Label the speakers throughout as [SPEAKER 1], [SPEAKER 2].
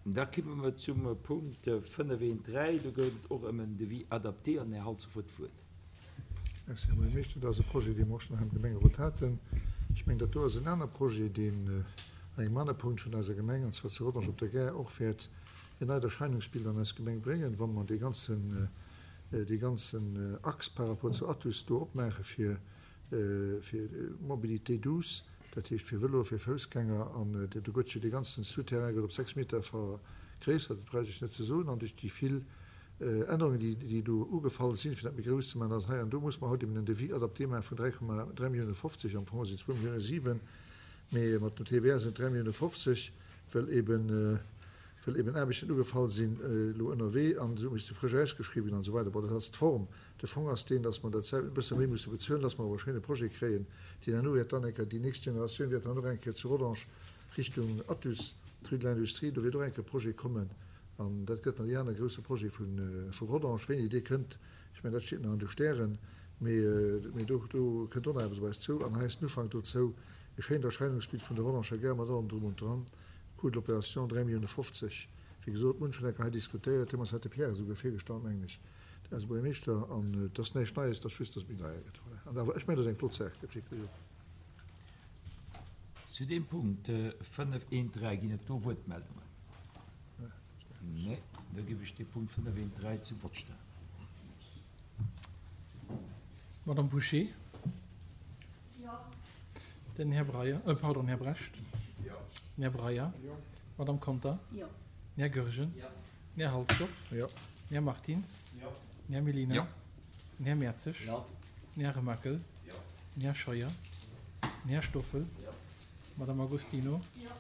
[SPEAKER 1] Da komme mer zum Punkt 5.1.3. Do gouf et och ëm en Devis adapté an den Här Halsdorf huet d'Wuert.
[SPEAKER 2] Merci, Här Buergermeeschter. Dat ass e Projet, dee mer och schonn hei am Gemengerot haten. Ech mengen, dat do ass en aner Projet, deen an engem anere Punkt vun eiser Gemeng, an zwar zu Rodange op der Gare, och wäert en neit Erscheinungsbild an eis Gemeng bréngen, wa mer dee ganzen, dee ganzen Axe par rapport zu Athus do opmaache fir, fir Mobilité douce, dat heescht fir Vëloe, fir Foussgänger. An do gëtt jo dee ganzen Souterrain gëtt op 6 Meter vergréissert, dat bräicht ech net ze soen. An duerch déi vill Ännerungen, déi do ugefall sinn, fir dat méi grouss ze maachen, ass hei an do muss mer haut eben en Devis adapté maache vun 3,3 Millioune 50, am Fong sinn et zwou Millioune 7, mee mat dem TVA sinn et 3 Millioune 50, well eben, well eben Aarbechten ugefall sinn elo ënnerwee an esou misste frësch ausgeschriwwen ginn an esou weider. Bon, dat ass d'Form. De Fong ass deen, dass mer dat selwecht e bësse méi musse bezuelen, dass mer awer e schéine Projet kréien, deen herno wäert dann eng Kéier, déi nächst Generatioun wäert dann och eng Kéier zu Rodange Richtung Athus, d'Rue de l'Industrie, do wäert och eng Kéier e Projet kommen an dat gëtt dann dee anere grousse Projet vu Rodange. Wéini dee kënnt, ech mengen, dat steet nach an de Stären, mee, mee do, do kënnt och nach eppes op eis zou. An hei ass den Ufank dozou, e schéint Erscheinungsbild vun der Rodanger Gare mat allem drum und dran. Coût de l'opération 3 Millioune 50. Wéi gesot, mir hunn schonn eng Kéier hei diskutéiert, deemools hat de Pierre esouguer virgestallt, mengen ech. Eise Buergermeeschter, an et ass näischt Neies, et ass just, dass et méi deier gëtt. Voilà. An awer, ech mengen, et ass eng flott Saach, gëtt wierklech op.
[SPEAKER 1] Zu deem Punkt 5.1.3, ginn et do Wuertmeldungen? Nee. Da ginn ech dee Punkt 5.1.3 zum Vott stellen.
[SPEAKER 3] D'Madame Bouché? Jo. Den Här Breyer, pardon, Här Brecht? Jo. Den Här Breyer? Jo. D'Madame Conter? Jo. Den Här Goergen? Jo. Den Här Halsdorf?
[SPEAKER 2] Jo.
[SPEAKER 3] Den Här Martins?
[SPEAKER 4] Jo.
[SPEAKER 3] Den Här Mellina?
[SPEAKER 4] Jo.
[SPEAKER 3] Den Här Mertzig?
[SPEAKER 4] Jo.
[SPEAKER 3] Den Här Remakel?
[SPEAKER 4] Jo.
[SPEAKER 3] Den Här Scheuer? Den Här Stoffel?
[SPEAKER 4] Jo.
[SPEAKER 3] D'Madame Agostino?
[SPEAKER 5] Jo.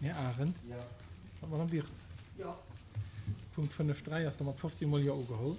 [SPEAKER 3] Den Här Arendt?
[SPEAKER 4] Jo.
[SPEAKER 3] An d'Madame Wirtz?
[SPEAKER 5] Jo.
[SPEAKER 3] Punkt 5.3 ass da mat 15 mol Jo ugeholl.